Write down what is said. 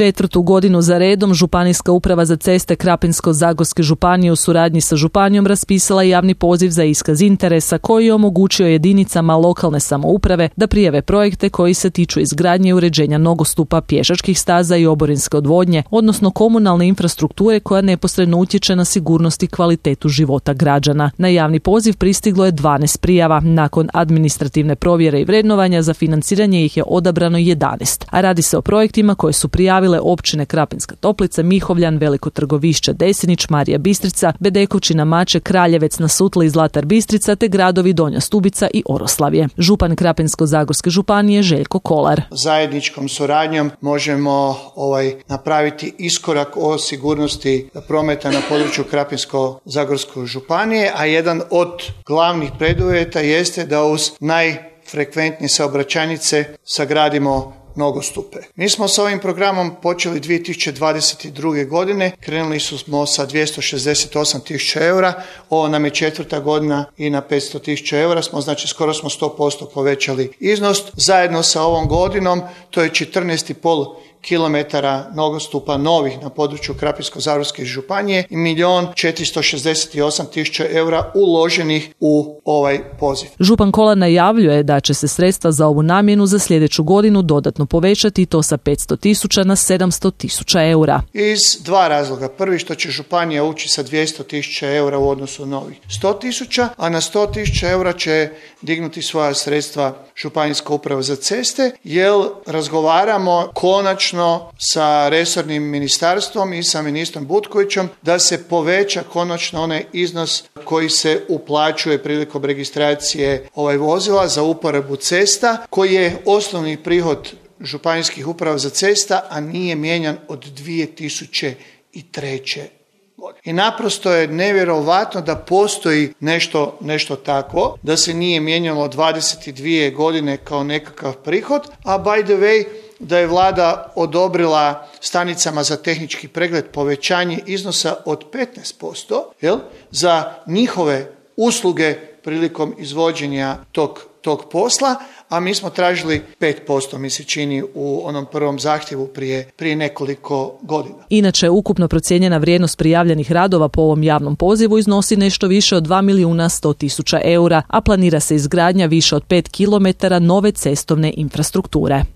4. godinu za redom Županijska uprava za ceste Krapinsko-zagorske županije u suradnji sa županijom raspisala javni poziv za iskaz interesa koji je omogućio jedinicama lokalne samouprave da prijave projekte koji se tiču izgradnje i uređenja nogostupa, pješačkih staza i oborinske odvodnje, odnosno komunalne infrastrukture koja neposredno utječe na sigurnost i kvalitetu života građana. Na javni poziv pristiglo je 12 prijava. Nakon administrativne provjere i vrednovanja za financiranje ih je odabrano 11, a radi se o projektima koje su prijavile općine Krapinska Toplica, Mihovljan, Veliko Trgovišće, Desinić, Marija Bistrica, Bedekovčina, Mače, Kraljevec na Sutli i Zlatar Bistrica te gradovi Donja Stubica i Oroslavje. Župan Krapinsko-zagorske županije Željko Kolar. Zajedničkom suradnjom možemo napraviti iskorak o sigurnosti prometa na području Krapinsko-zagorske županije, a jedan od glavnih preduvjeta jeste da uz najfrekventnije saobraćajnice sagradimo nogostupe. Mi smo s ovim programom počeli 2022. godine, krenuli smo sa 268.000 eura, ovo nam je 4. godina i na 500.000 eura smo, znači skoro smo 100% povećali iznos. Zajedno sa ovom godinom to je 14,5 kilometara nogostupa novih na području Krapinsko-zagorske županije i 1.468.000 eura uloženih u ovaj poziv. Župan Kolar najavljuje da će se sredstva za ovu namjenu za sljedeću godinu dodatno povećati, to sa 500.000 na 700.000 eura. Iz dva razloga. Prvi, što će županija ući sa 200.000 eura u odnosu na ovih 100.000, a na 100.000 eura će dignuti svoja sredstva Županijska uprava za ceste, jer razgovaramo konačno sa resornim ministarstvom i sa ministrom Butkovićem da se poveća konačno onaj iznos koji se uplaćuje prilikom registracije vozila za uporabu cesta, koji je osnovni prihod županijskih uprava za cesta, a nije mijenjan od 2003. I naprosto je nevjerovatno da postoji nešto takvo, da se nije mijenjalo 22 godine kao nekakav prihod, a by the way, da je vlada odobrila stanicama za tehnički pregled povećanje iznosa od 15% za njihove usluge prilikom izvođenja tog posla, a mi smo tražili 5%, mi se čini, u onom prvom zahtjevu prije nekoliko godina. Inače, ukupno procijenjena vrijednost prijavljenih radova po ovom javnom pozivu iznosi nešto više od 2.100.000 eura, a planira se izgradnja više od 5 kilometara nove cestovne infrastrukture.